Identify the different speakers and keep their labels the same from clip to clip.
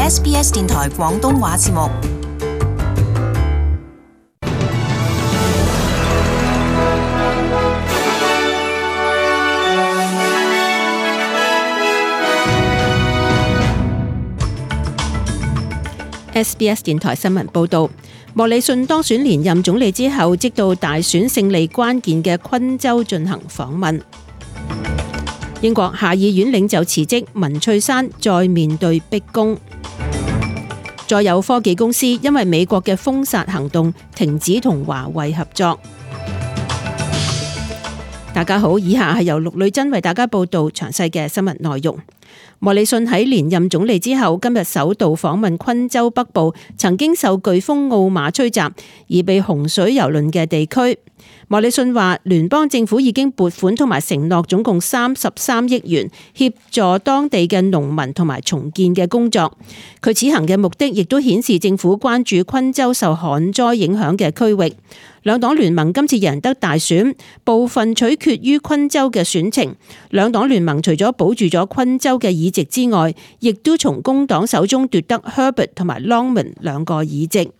Speaker 1: SBS 電台廣東話節目。
Speaker 2: SBS 電台新聞報導，莫里遜當選連任總理之後，即到大選勝利關鍵嘅昆州進行訪問。英國下議院領袖辭職，文翠珊再面對逼宮。再有科技公司因為美國嘅封殺行動，停止同華為合作。大家好，以下係由陸女珍為大家報道詳細嘅新聞內容。莫里遜喺連任總理之後，今日首度訪問昆州北部曾經受颶風奧馬吹襲而被洪水蹂躪嘅地區。莫里遜話，聯邦政府已經撥款同埋承諾總共33億元協助當地嘅農民同埋重建嘅工作。佢此行嘅目的亦都顯示政府關注昆州受旱災影響嘅區域。兩黨聯盟今次贏得大選，部分取決於昆州嘅選情。兩黨聯盟除咗保住咗昆州嘅議席之外，亦都從工黨手中奪得 Herbert 同埋 Longman 兩個議席。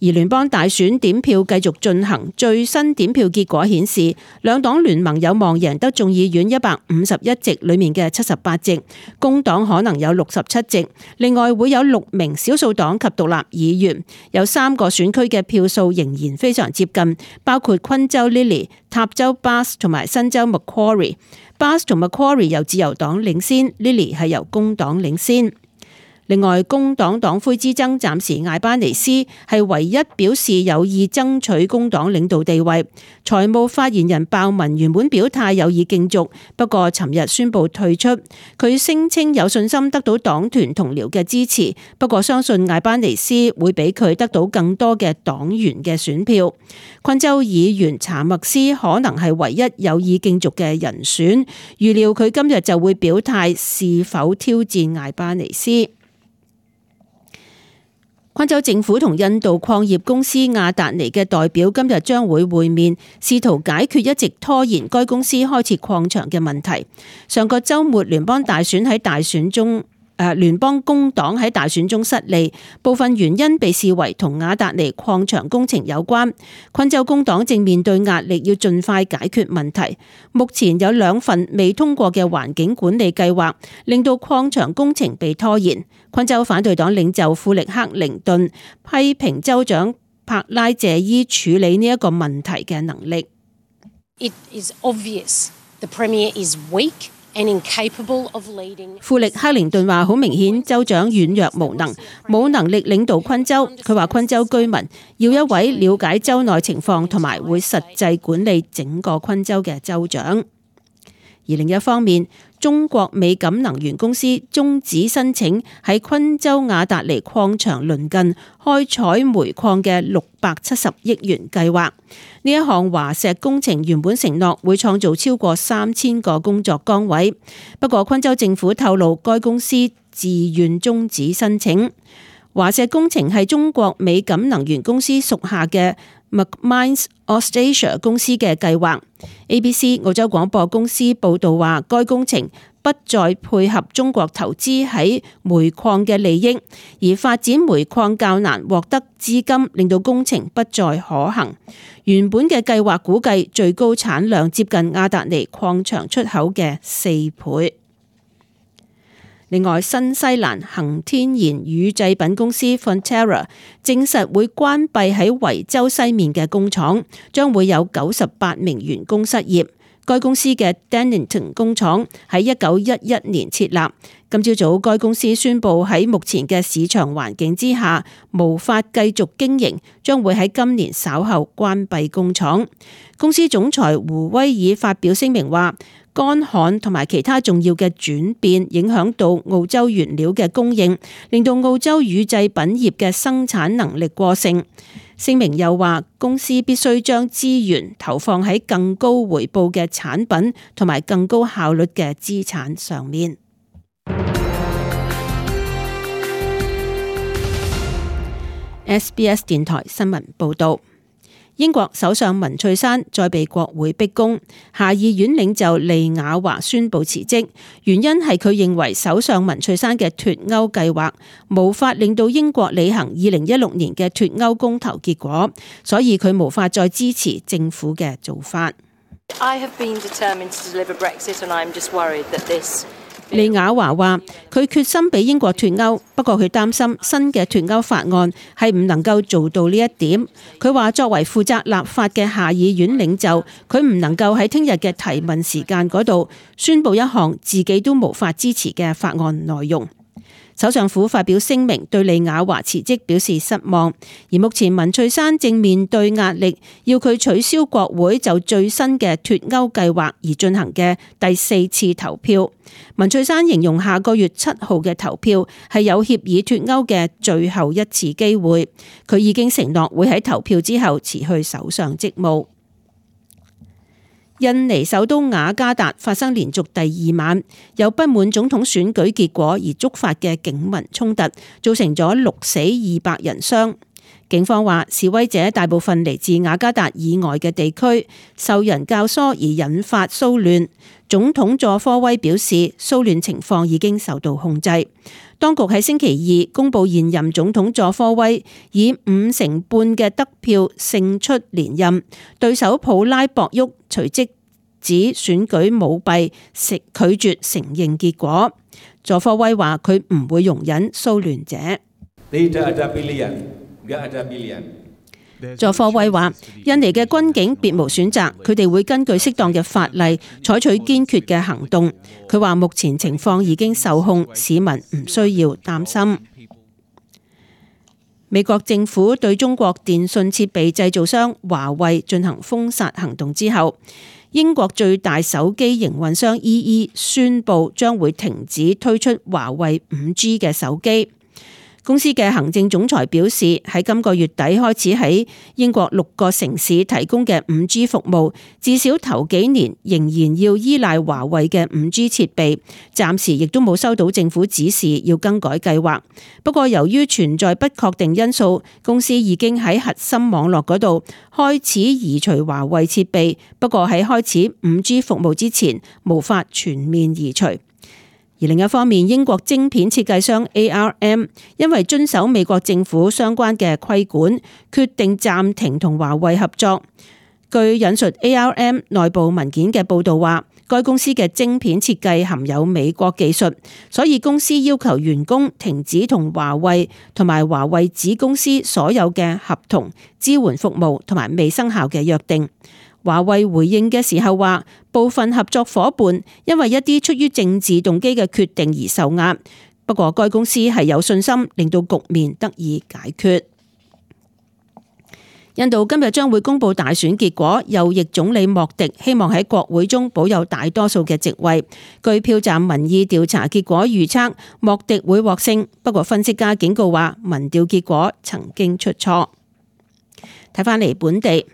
Speaker 2: 而聯邦大選點票繼續進行，最新點票結果顯示，兩黨聯盟有望贏得眾議院151席裏面嘅78席，工黨可能有67席，另外會有6名少數黨及獨立議員，有3個選區嘅票數仍然非常接近，包括昆州 Lily、塔州 Bass 同埋新州 Macquarie。Bass 同 Macquarie 由自由黨領先， Lily 係由工黨領先。另外，工黨黨魁之爭暫時艾巴尼斯係唯一表示有意爭取工黨領導地位。財務發言人鮑文原本表態有意競逐，不過尋日宣布退出。佢聲稱有信心得到黨團同僚嘅支持，不過相信艾巴尼斯會比佢得到更多嘅黨員嘅選票。昆州議員查默斯可能係唯一有意競逐嘅人選，預料佢今日就會表態是否挑戰艾巴尼斯。昆州政府同印度礦業公司亞達尼嘅代表今日將會會面，試圖解決一直拖延該公司開設礦場嘅問題。上個週末聯邦工黨喺大選中失利，部分原因被視為同亞達尼礦場工程有關。昆州工黨正面對壓力，要盡快解決問題。目前有2份未通過嘅環境管理計劃，令到礦場工程被拖延。昆州反對黨領袖富力克靈頓批評州長柏拉謝伊處理呢一個問題嘅能力。
Speaker 3: It is obvious the Premier is weak and incapable of leading。
Speaker 2: 富力克靈頓話：好明顯，州長軟弱無能，冇能力領導昆州。佢話昆州居民要一位了解州內情況同埋會實際管理整個昆州嘅州長。而另一方面，中國美錦能源公司終止申請喺昆州亞達尼礦場鄰近開採煤礦嘅670億元計劃。呢一項華石工程原本承諾會創造超過3000個工作崗位，不過昆州政府透露該公司自願終止申請。華石工程係中國美錦能源公司屬下嘅 McMines Australia 公司嘅計劃。ABC 澳洲廣播公司報道話，該工程不再配合中國投資喺煤礦嘅利益，而發展煤礦較難獲得資金，令到工程不再可行。原本嘅計劃估計最高產量接近亞達尼礦場出口嘅4倍。另外，新西蘭恒天然乳製品公司 Fonterra 證實會關閉喺維州西面嘅工廠，將會有98名員工失業。該公司嘅 Dannington 工廠喺1911年設立。今朝早，該公司宣布喺目前嘅市場環境之下，無法繼續經營，將會喺今年稍後關閉工廠。公司總裁胡威爾發表聲明話，乾旱同埋其他重要嘅轉變影響到澳洲原料嘅供應，令到澳洲乳製品業嘅生產能力過剩。聲明又話，公司必須將資源投放喺更高回報嘅產品同埋更高效率嘅資產上面。SBS 電台新聞報道。英國首相文翠珊再被國會逼宮，下議院領袖利雅華宣布辭職，原因係佢認為首相文翠珊嘅脫歐計劃無法令到英國履行2016年嘅脫歐公投結果，所以佢無法再支持政府嘅做法。利雅華話：佢決心俾英國脫歐，不過佢擔心新嘅脫歐法案係唔能夠做到呢一點。佢話作為負責立法嘅下議院領袖，佢唔能夠喺聽日嘅提問時間嗰度宣佈一項自己都無法支持嘅法案內容。首相府發表聲明對利雅華辭職表示失望，而目前文翠珊正面對壓力，要佢取消國會就最新嘅脫歐計劃而進行嘅第4次投票。文翠珊形容下個月7號嘅投票係有協議脫歐嘅最後一次機會，佢已經承諾會喺投票之後辭去首相職務。印尼首都雅加達發生連續第2晚有不滿總統選舉結果而觸發嘅警民衝突，造成咗6死200人傷。警方話示威者大部分嚟自雅加達以外嘅地區，受人教唆而引發騷亂。總統佐科威表示，騷亂情況已經受到控制。當局喺星期2公布現任總統佐科威以50%半嘅得票勝出連任，對手普拉博沃隨即指選舉舞弊，拒絕承認結果。佐科威話佢唔會容忍騷亂者。佐科威話印尼嘅軍警別無選擇，佢哋會根據適當嘅法例採取堅決嘅行動。佢話目前情況已經受控，市民唔需要擔心。美國政府對中國電信設備製造商華為進行封殺行動之後，英國最大手機營運商 EE 宣布將會停止推出華為 5G 嘅手機。公司嘅行政總裁表示，喺今個月底開始喺英國6個城市提供嘅 5G 服務，至少頭幾年仍然要依賴華為嘅 5G 設備，暫時亦都冇收到政府指示要更改計劃。不過由於存在不確定因素，公司已經喺核心網絡嗰度開始移除華為設備，不過喺開始 5G 服務之前，無法全面移除。而另一方面，英國晶片設計商 ARM 因為遵守美國政府相關嘅規管，決定暫停同華為合作。據引述 ARM 內部文件嘅報導話，該公司嘅晶片設計含有美國技術，所以公司要求員工停止同華為同埋華為子公司所有嘅合同、支援服務同埋未生效嘅約定。華為回應嘅時候話，部分合作夥伴因為一啲出於政治動機嘅決定而受壓，不過該公司係有信心令到局面得以解決。印度今日將會公布大選結果，右翼總理莫迪希望喺國會中保有大多數嘅席位。據票站民意調查結果預測，莫迪會獲勝，不過分析家警告話，民調結果曾經出錯。睇返嚟本地。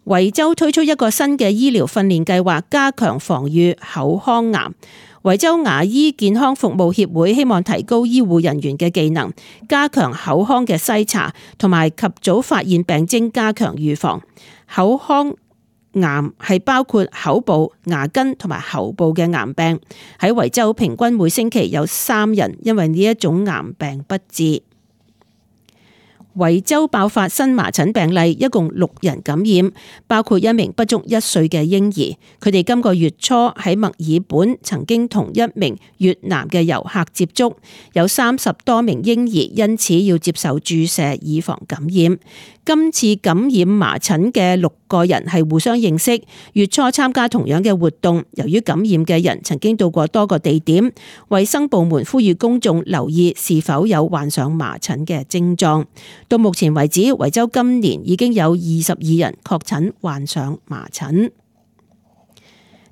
Speaker 2: 維州推出一個新嘅醫療訓練計劃，加強防禦口腔癌。維州牙醫健康服務協會希望提高醫護人員嘅技能，加強口腔嘅篩查，同埋及早發現病徵，加強預防。口腔癌係包括口部、牙根同埋喉部嘅癌病。喺維州平均每星期有3人因為呢一種癌病不治。維州爆發新麻疹病例，一共6人感染，包括一名不足1歲嘅嬰兒。佢哋今個月初喺墨爾本曾經同一名越南嘅遊客接觸，有30多名嬰兒因此要接受注射以防感染。今次感染麻疹嘅6個人係互相認識，月初參加同樣嘅活動。由於感染嘅人曾經到過多個地點，衛生部門呼籲公眾留意是否有患上麻疹嘅症狀。到目前為止，維州今年已經有22人確診患上麻疹。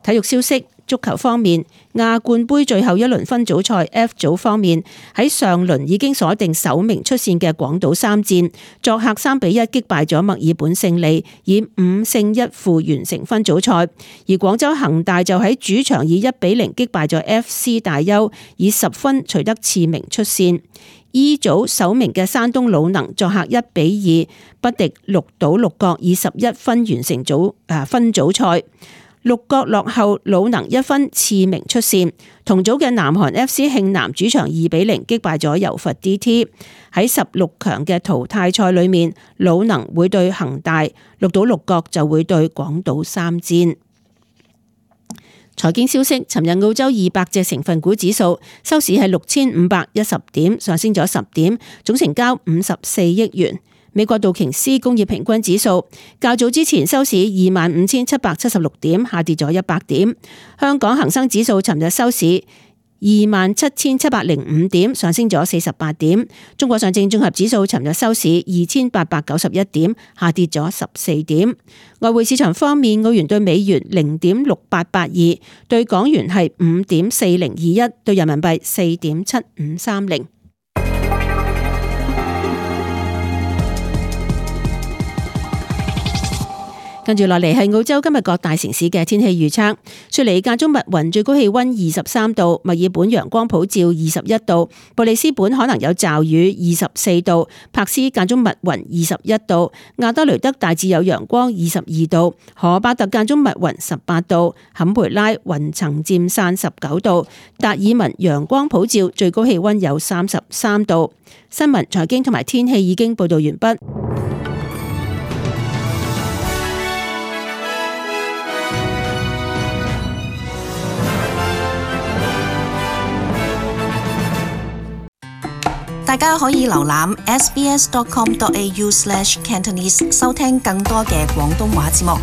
Speaker 2: 體育消息，足球方面，亞冠盃最後一輪分組賽 F 組方面，喺上輪已經鎖定首名出線嘅廣島三箭，作客3-1擊敗咗墨爾本勝利，以5勝1負完成分組賽。而廣州恒大就喺主場以1-0擊敗咗 FC 大邱，以10分取得次名出線。E 組首名嘅山東魯能作客1-2不敵鹿島鹿角，以11分完成分組賽。鹿角落後魯能1分，次名出線。同組嘅南韓 FC 慶南主場2-0擊敗咗柔佛 DT。喺16強嘅淘汰賽裏面，魯能會對恒大，鹿島鹿角就會對廣島三箭。財經消息，尋日澳洲200隻成分股指數收市係6510點，上升咗10點，總成交54億元。美國道瓊斯工業平均指數較早之前收市25,776點，下跌咗100點。香港恒生指數尋日收市27,705點，上升咗48點。中國上證綜合指數尋日收市2,891點，下跌咗14點。外匯市場方面，澳元對美元0.6882，對港元係5.4021，對人民幣4.7530。跟住落嚟係澳洲今日各大城市嘅天氣預測。雪梨間中密雲，最高氣溫23度；墨爾本陽光普照21度；布里斯本可能有驟雨24度；柏斯間中密雲21度；亞德雷德大致有陽光22度；荷巴特間中密雲18度；坎培拉雲層漸散19度；達爾文陽光普照，最高氣溫有33度。新聞、財經同埋天氣已經報道完畢。
Speaker 1: 大家可以瀏覽 sbs.com.au/cantonese 收聽更多嘅廣東話節目。